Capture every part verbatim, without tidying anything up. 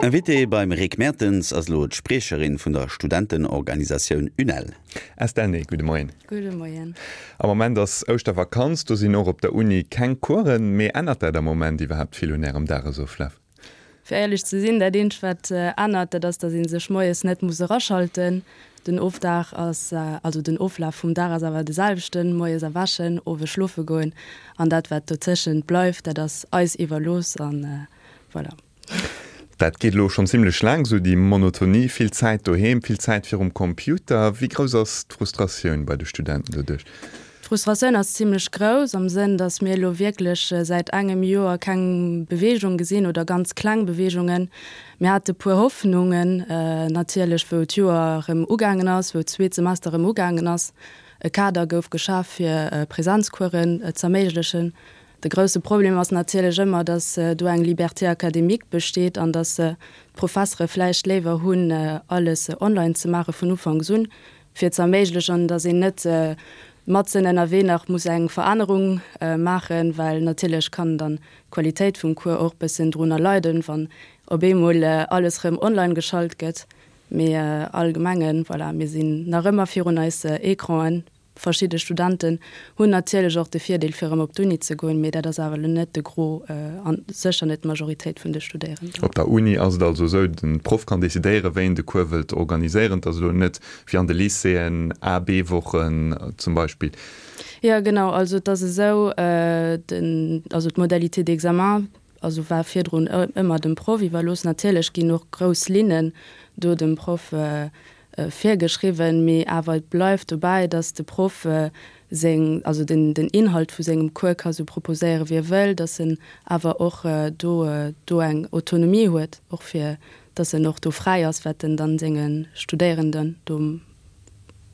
Invitée beim Rick Mertens ass elo d'Spriecherin vun der Studentenorganisatioun UNEL. Estelle Ney, gudde Moien. Gudde Moien. Am Moment ass Ouschtervakanz, do sinn och op der Uni keng Coursen, mee ännert dat am Moment iwwerhaapt vill un Ärem Dagesoflaf? Fir éierlech ze sinn, dat eenzegt wat ännert, dat ass, datt ee sech moies net muss eraschalten. Den Ofdag ass, also den Oflaf vum Dag ass awer de selwechten, moies erwächen, owes schlofe goen an dat wat dozëschent bleift, dat ass eis iwwerlooss an voilà. Dat geet elo schonn zimlech laang esou, déi Monotonie, vill Zäit doheem, vill Zäit virum Computer. Wéi grouss ass d'Frustratioun bei de Studenten doduerch? D'Frustratioun ass zimlech grouss, am Sënn, datt mir elo wierklech säit engem Joer keng Beweegung gesinn oder ganz kleng Beweegungen. Mir hate puer Hoffnungen natierlech, wou d'Joer erëm ugaangen ass, wou d'zweet Semester erëm ugaangen ass. E Kader gouf geschaf, fir Presenzcoursen z'erméiglechen. De grousse Problem ass natierlech ëmmer, datt do eng Liberté académique besteet an datt d'Professere vläicht léiwer hunn, alles online ze maache vun Ufanks un, fir ze erméiglechen, datt een net matzen ënnerwee nach muss eng Verännerung maachen, well natierlech kann dann d'Qualitéit vum Cours och bëssen drunner leiden, wann op eemol alles erëm online geschalt gëtt. Mee allgemengen, voilà, mir sinn nach ëmmer virun eis Ecranen. Verschidde Studenten hunn natierlech och de Virdeel fir erëm op d'Uni ze goen, mee dat ass awer elo net de Gros a sécher net d'Majoritéit vun de Studéierenden. Op der Uni ass et also esou, de Proff kann decidéieren, wéi en de Cours wëllt organiséieren. Et ass elo net wéi an de Lycéeën, A-, B-Wochen zum Beispill. Jo, genau. Also et ass esou, den, also d'Modalité d'examen, also war virdrun ëmmer dem Proff iwwerlooss. Natierlech ginn och grouss Linnen do dem Proff virgeschriwwen, mee awer et bleift dobäi, dass de Proff seng, also den den Inhalt vu sengem Cours ka sou proposéiere wéi e wëll, dass en awer och do do eng Autonomie huet, och fir dass en och do fräi ass, wat en dann senge Studéierenden do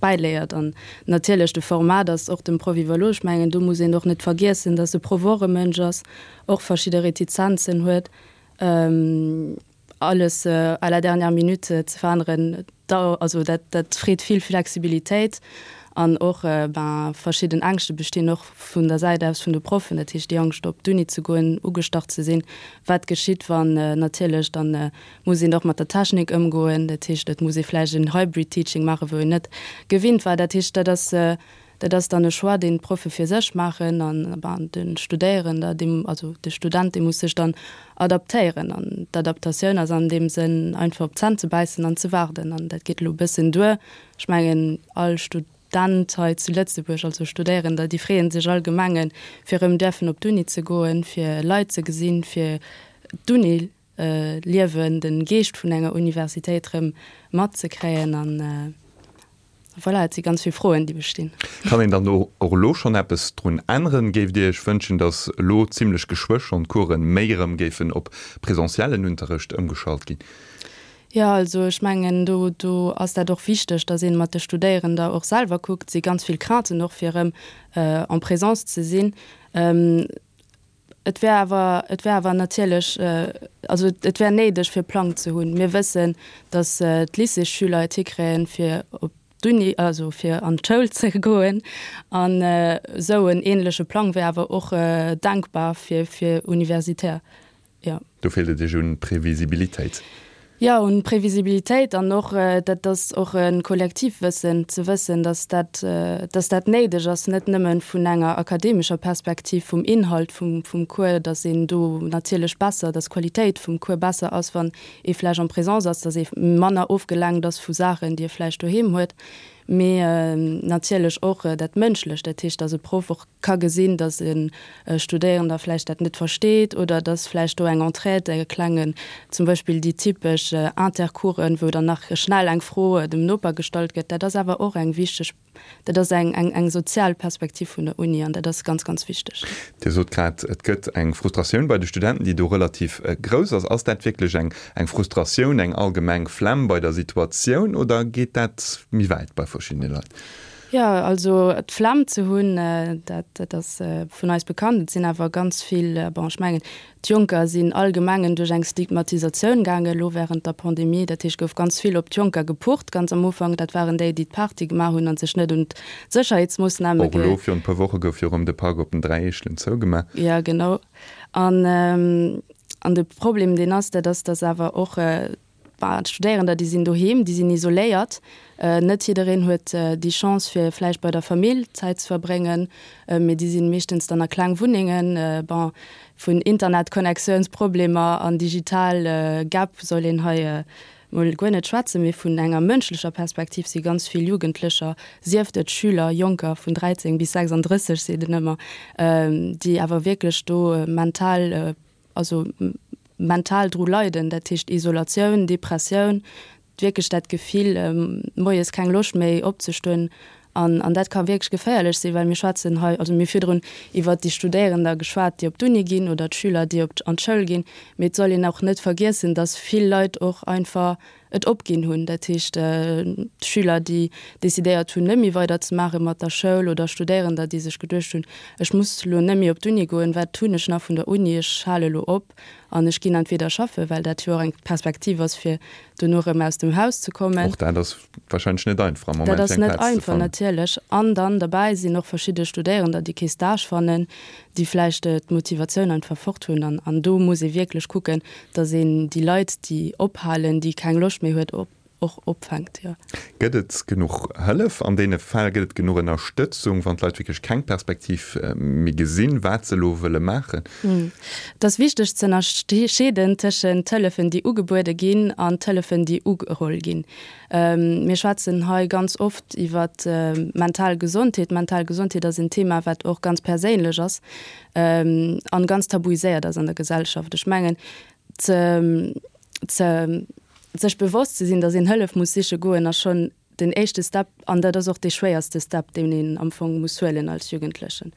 bäiléiert. An natierlech de Format ass och dem Proff iwwerlooss. Ech mengen, do muss een och net vergiessen, dass e Proff och e Mënsch ass, och verschidde Retizenzen huet. Alles à la dernière minute ze veränneren, da, also dat, dat freet vill Flexibilitéit an och, ben, verschidden Ängschte bestinn och vun der Säit aus vun de Proffen, dat heescht déi Angscht op d'Uni ze goen, ugestach ze sinn, wat geschitt wann natierlech dann muss een och mat der Technik ëmgoen, dat heescht et muss ee vläicht en Hybrid Teaching maachen, wou een net gewinnt war. Dat heescht dat ass, Dat ass dann e Choix, deen d'Proffe fir sech maachen an, ben, de Studéierender, deem, also de Student, dee muss sech dann adaptéieren. An d'Adaptatioun ass an deem Sënn einfach op d'Zänn ze bäissen an ze waarden. An dat geet elo e bëssen duer. Ech mengen, all Student hei zu Lëtzebuerg, also Studéierender, déi freeë sech allgemengen, fir erëm däerfen op d'Uni ze goen, fir Leit ze gesinn, fir d'Uni-Liewen, de Geescht vun enger Universitéit erëm matzekréien. An voilà, et si ganz vill Froen, déi bestinn. Kann een dann och elo schonn eppes drun änneren? Géift Dir Iech wënschen, datt elo zimlech geschwë schonn d'Coursen méi erëm géifen op presentiellen Unterrecht ëmgeschalt ginn? Jo, also ech mengen, do, do ass dat och wichteg, datt ee mat de Studéierender och selwer kuckt. Et si ganz vill Crainten och, fir erëm en présence ze sinn. Et wär awer, et wär awer natierlech, also et wär néideg fir e Plang ze hunn. Mir wëssen, datt d'Lycéesschüler et hikréien, fir op d'Uni, also fir an d'Schoul ze goen. An esou en ähnleche Plang wär awer och denkbar fir, fir Universitaire, jo. Do feelt et Iech un Previsibilitéit. Jo, un Previsibilitéit an och, dat ass och e Kollektivwëssen, ze wëssen, dass dat, dass dat néideg ass, net nëmme vun enger akademescher Perspektiv, vum Inhalt vum, vum Cours, dass een do natierlech besser, dass d'Qualitéit vum Cours besser ass, wann ee vläicht en présence ass, dass ee manner ofgelenkt ass vu Saachen, déi e vläicht doheem huet. Mee natierlech och dat Mënschlecht, dat heescht, dass e Proff och ka gesinn, dass e Studéierender vläicht dat net versteet oder dass vläicht do eng Entraide, e klengen, zum Beispill déi typesch Intercoursen, wou dann nach schnell eng Fro dem Noper gestallt gëtt, dat ass awer och eng wichteg, dat ass eng, eng, eng sozial Perspektiv vun der Uni an dat ass ganz, ganz wichteg. Dir sot grad, et gëtt eng Frustratioun bei de Studenten, déi do relativ grouss ass. Ass dat wierklech eng, eng Frustratioun, eng allgemeng Flemm bei der Situatioun oder geet dat méi wäit bei verschiddene Leit? Jo, also d'Flemm ze hunn, dat, dat ass vun eis bekannt. Et sinn awer ganz vill, bon, ech mengen, d'Jonker sinn allgemengen duerch eng Stigmatisatioun gaangen elo während der Pandemie. Dat heescht, gouf ganz vill op d'Jonker gepucht ganz am Ufank. Dat waren déi, déi d'Party gemaach hunn a sech net un d'Sécherheetsmoossname Och elo virun e puer Woche gouf jo erëm de Park op den Dräi Eechelen zougemaach. Jo, genau. An, An de Problem, deen ass, dat ass, dass awer och d'Studéierender, déi sinn doheem, déi sinn isoléiert. Net jiddereen huet déi Chance, fir vläicht bei der Famill Zäit ze verbréngen, mee déi sinn meeschtens dann a kleng Wunnengen. Bon, vun Internetconnectiounsproblemer an digital Gap soll een hei mol guer net schwätzen, mee vun enger mënschlecher Perspektiv si ganz vill Jugendlecher, sief et Schüler, Jonker vun dräizéng bis sechsandrësseg seet en ëmmer, déi awer wierklech do mental, also mental dru leiden, dat heescht Isolatioun, Depressioun, wierklech dat Gefill, moies keng Loscht méi opzestoen. An, an dat ka wierklech geféierlech sinn, well mir schwätzen hei, also mir hu virdrun iwwert déi Studéierender geschwat, déi op d'Uni ginn oder d'Schüler, déi op an d'Schoul ginn, mee et soll een och net vergiessen, dass vill Leit och einfach et opginn hunn, dat heescht d'Schüler, déi decidéiert hunn, net méi weider ze maache mat der Schoul oder Studéierender, déi sech geduecht hunn, ech muss elo net méi op d'Uni goen, wat hunn ech nach vun der Uni, ech hale elo op an ech ginn entweder schaffen, well dat jo och eng Perspektiv ass, fir dono erëm aus dem Haus ze kommen. Och dat ass wahrscheinlech net einfach am Moment, fir eng Dat ass Plaz net ze einfach, fannen. natierlech. An dann derbäi sinn och verschidde Studéierender, déi kee Stage fannen, déi vläicht d'Motivatioun einfach fort hunn. An, an do muss ee wierklech kucken, dass een déi Leit, déi ophalen, déi keng Loscht méi huet, op, och opfänkt, jo. Gëtt et genuch Hëllef an deene Fäll? Gëtt et genuch Ënnerstëtzung, wann d'Leit wierklech keng Perspektiv méi gesinn, wat se elo wëlle maachen? Et ass wichteg ze ënnerscheeden tëschent Hëllefen, déi ugebuede ginn, an Hëllefen, déi ugeholl ginn. Mir schwätzen hei ganz oft iwwer mental Gesondheet. Mental Gesondheet ass en Thema, wat och ganz perséinlech ass an ganz tabuiséiert ass an der Gesellschaft. Ech mengen, ze, ze, sech bewosst ze sinn, datt een Hëllef muss siche goen, ass schonn den éischte Step an dat ass och dee schwéierste Step, deen een am Fong muss huelen als Jugendlechen.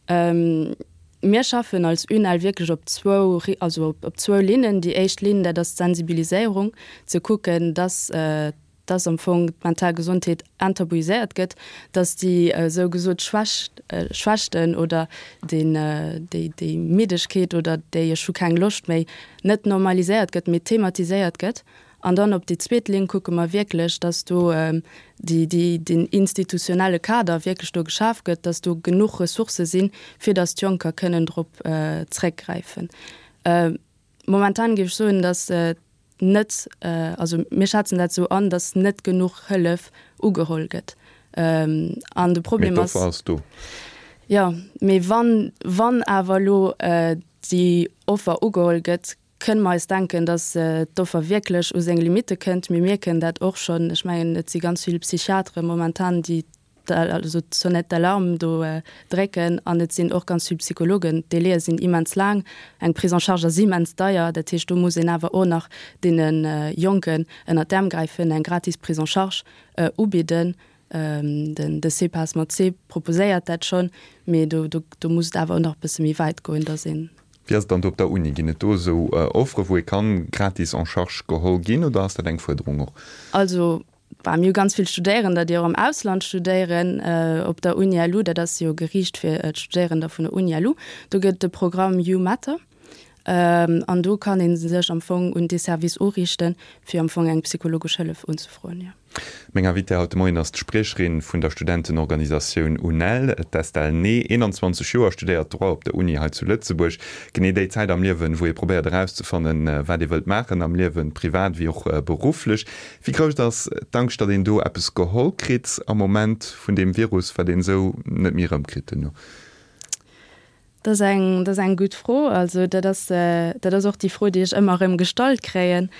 Mir schaffen als UNEL wierklech op zwou, also op zwou Linnen. Déi éischt Linn, dat ass d'Sensibiliséierung, ze kucken, datt, dass am Fong d'mental Gesondheet enttabuiséiert gëtt, dass déi esou gesot Schwächt, Schwächten oder deen, déi, déi Middegkeet oder déi ech hu keng Loscht méi net normaliséiert gëtt, mee thematiséiert gëtt. An dann op déi zweet Linn kucke mer wierklech, dass do déi, déi, deen institutionelle Kader wierklech do geschaf gëtt, dass do genuch Ressourcë sinn, fir dass d'Jonker kënnen drop zréckgräifen. Momentan géif ech soen, dass net, also mir schätzen dat esou an, dass net genuch Hëllef ugeholl gëtt. An de Problem Mee ass. d'Offer ass do. Jo, mee wann, wann awer elo déi Offer ugeholl gëtt, kënne mer eis denken, dass d'Offer wierklech u seng Limitte kënnt. Mir mierken dat och schonn. Ech mengen, et si ganz vill Psychiatere momentan, déi also d'Sonnette d'alarme do drécken an et sinn och ganz vill Psychologen. D'Délaië sinn immens laang, eng Prise en charge ass immens deier. Dat heescht, do muss een awer och nach deene Jonken ënnert d'Äerm gräifen, eng gratis Prise en charge ubidden. Den de CPAS mat C proposéiert dat schonn, mee do do muss et awer och nach e bësse méi wäit goen, dass een. Wéi ass et dann do op der Uni? Ginn et do esou Offere wou ee kann gratis en charge geholl ginn oder ass dat eng Fuerderung och? Also Bah, mir hu ganz vill Studéierender, déi och am Ausland studéieren, op der Uni-LU. Dat ass jo geriicht fir d'Studéierender vun der Uni-LU. Do gëtt et de Programm YouMatter. An do kann ee sech am Fong un dee Service uriichten, fir am Fong eng psychologesch Hëllef unzefroen, jo. Meng Invitée haut de Moien ass d'Spriecherin vun der Studentenorganisatioun UNEL, d'Estelle Ney, eenanzwanzeg Joer, studéiert Droit op der Uni hei zu Lëtzebuerg. Genee déi Zäit am Liewen, wou ee probéiert erauszefannen, wat ee wëllt maachen am Liewen, privat wéi och berufflech. Wéi grouss ass d'Angscht, datt een do eppes geholl kritt am Moment vun deem Virus, wat een esou net méi erëmkritt duerno? Dat ass eng, dat ass eng gutt Fro. Also dat ass, dat ass och déi Fro, déi ech ëmmer erëm gestallt kréien.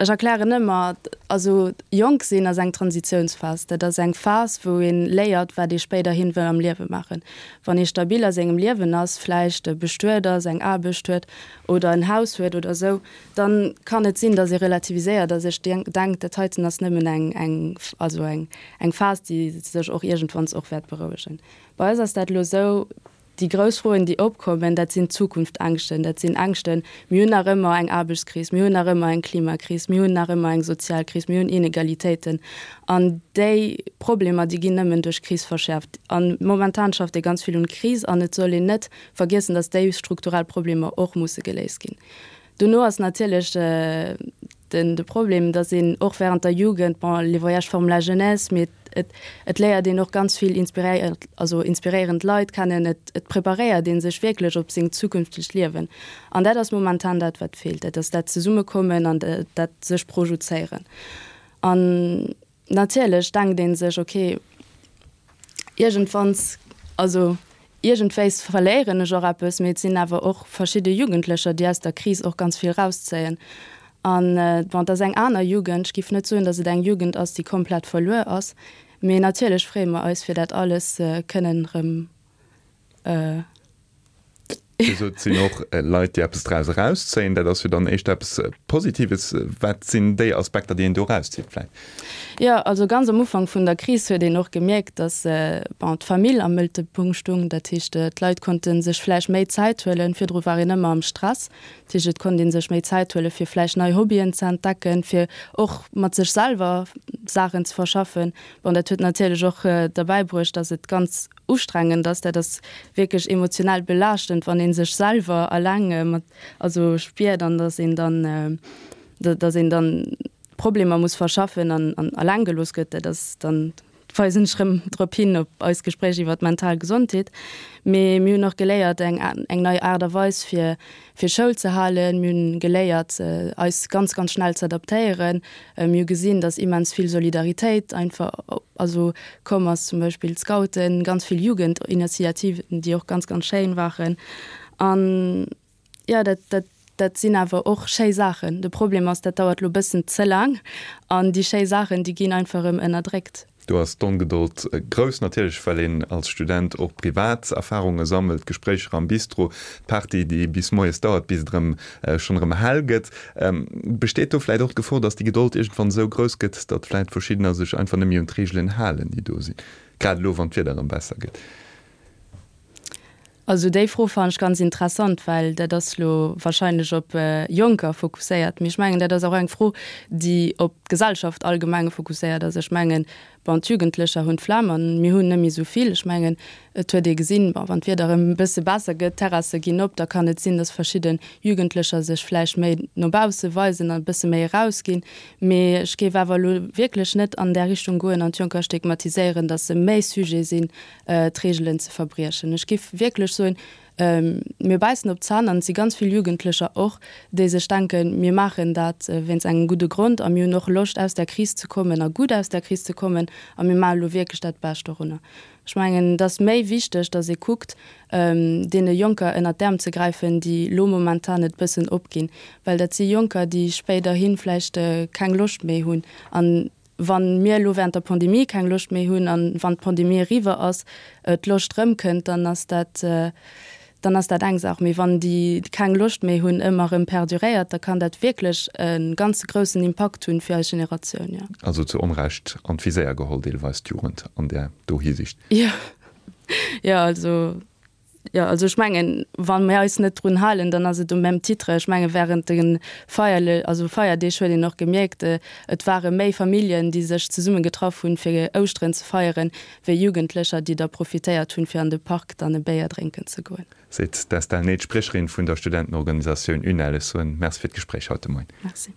Ech erklären ëmmer, also jonk sinn ass eng Transitiounsphas. Dat ass eng Phas, wou ee léiert, wat ee spéiderhin wëll am Liewe maachen. Wann ee stabil a sengem Liewen ass, vläicht bestuet ass, eng Aarbecht huet oder en Haus huet oder esou, dann kann et sinn, datt ee relativiséiert a sech denkt, dat heiten ass nëmmen eng, eng, also eng, eng Phas, déi sech och iergendwanns och wäert berouegen. Bei eis ass dat elo esou, déi grouss Froen, déi opkommen, dat sinn Zukunftsängschten, dat sinn Ängschten, mir hunn nach ëmmer eng Aarbechtskris, mir hunn nach ëmmer eng Klimakris, mir hunn nach ëmmer eng sozial Kris, mir hunn Inegalitéiten. An déi Problemer, déi ginn nëmmen duerch Kris verschäerft. A momentan schafft ee ganz vill un Kris an et soll een net vergiessen, datt déi strukturell Problemer och musse geléist ginn. Dono ass natierlech den de Problem, datt een och während der Jugend, bon, les voyages forment la jeunesse, mee et, et léiert een och ganz vill inspiréiert, also inspiréierend Leit kennen, et, et preparéiert ee sech wierklech op seng zukünftegt Liewen. An dat ass momentan dat, wat feelt, dat ass dat Zesummekommen an dat sech projezéieren. An natierlech denkt ee sech, okay, iergendwanns, also iergendwéis verléieren ech och eppes, mee et sinn awer och verschidde Jugendlecher, déi aus der Kris och ganz vill rauszéien. An bon, et ass eng aner Jugend, ech géif net soen, datt et eng Jugend ass, déi komplett verluer ass, mee natierlech freeë mer eis, fir dat alles kënnen erëm. Dir sot, et sinn och Leit, déi eppes draus erauszéien. Dat ass jo dann éischter eppes Positives. Wat sinn déi Aspekter, déi een do erauszitt vläicht? Jo, also ganz am Ufank vun der Kris huet een och gemierkt, datt, bon, d'Famill am Mëttelpunkt stung. Dat heescht, d'Leit konnte sech vläicht méi Zäit huelen. Virdru war een ëmmer am Stress. Dat heescht, et konnt ee sech méi Zäit huelen, fir vläicht nei Hobbyen ze entdecken, fir och mat sech selwer Saachen ze verschaffen. Bon, dat huet natierlech och derbäi bruecht, datt et ganz ustrengend ass. Dat ass wierklech emotionell belaaschtend, wann ee sech selwer eleng mat, also spiert an datt een dann, datt een dann Problemer muss verschaffen an an eleng gelooss gëtt. Dat ass dann, weisen ech erëm drop hin, op eist Gespréich iwwer d'mental Gesondheet. Mee mir hunn och geléiert eng eng nei Aart a Weis fir fir Schoul ze halen. Mir hunn geléiert eis ganz ganz schnell ze adaptéieren. Mir hu gesinn, datt immens vill Solidaritéit einfach also komm ass, zum Beispill d'Scouten, ganz vill Jugendinitiativen, déi och ganz ganz schéin waren. An jo, dat dat dat sinn awer och schéi Saachen. De Problem ass, dat dauert elo bëssen ze laang an déi schéi Saachen, déi ginn einfach erëm ënnerdréckt. Do ass d'Ongedold grouss, natierlech well een als Student och privat Erfarunge sammelt, Gespréicher am Bistro, d'Party déi bis moies dauert, bis et erëm schonn erëm hell gëtt. Besteet do vläit och d'Gefor, datt déi Gedold iergendwann esou grouss gëtt, datt vläit verschiddener sech einfach net méi un d'Reegelen halen, déi do sinn, grad elo wann d'Wieder erëm besser gëtt? Also déi Fro fannen ech ganz interessant, well dat ass lo wahrscheinlech op Jonker fokusséiert. Mee ech mengen, dat ass och eng Fro, déi op d'Gesellschaft allgemeng fokusséiert ass. Ech mengen, bon, d'Jugendlecher hunn d'Flemm an mir hunn net méi esou vill. Ech mengen, et huet ee gesinn, bon, wann d'Wieder erëm e bësse besser gëtt, d'Terrasse ginn op, da kann et sinn, datt verschidde Jugendlecher sech vläicht méi no bausse weisen an e bësse méi erausginn. Mee ech géif awer elo wierklech net an där Richtung goen an d'Jonker stigmatiséieren, datt se méi sujet sinn, d'Reegelen ze verbriechen. Ech giff wierklech soen, mir bäissen op d'Zänn an et si ganz vill Jugendlecher och, déi sech denken, mir maachen dat wéinst engem gudde Grond a mir hunn och Loscht aus där Kris ze kommen a gutt aus där Kris ze kommen a mir maache lo wierklech dat Bescht dorunner. Ech mengen, et ass méi wichteg, datt ee kuckt, deene Jonker ënnert d'Äerm ze gräifen, déi lo momentan et bëssen opginn, well dat si Jonker, déi spéiderhi vläicht keng Loscht méi hunn an Wann mir elo während der Pandemie keng Loscht méi hunn an wann d'Pandemie eriwwer ass, d'Loscht rëmkënnt, dann ass dat, dann ass dat eng Saach. Mee wann déi keng Loscht méi hunn ëmmer erëm perduréiert, da kann dat wierklech e ganz groussen Impakt hunn fir eis Generatioun, jo. Also zu Onrecht an d'Viséier geholl deelweis d'Jugend an där do Hisiicht. Jo, jo, also. Jo, also ech mengen, wa mir eis net drun halen, dann ass et au même titre. Ech menge während de Feierle also Feierdeeg huet een och gemierkt, et ware méi Familljen, déi sech zesumme getraff hunn, fir Ouschteren ze feieren, wéi Jugendlecher, déi da profitéiert hunn, fir an de Park dann e Béier drénken ze goen. Seet d'Estelle Ney, d'Spriecherin vun der Studentenorganisatioun UNEL. Ech soen Merci fir d'Gespréich haut de Moien. Merci.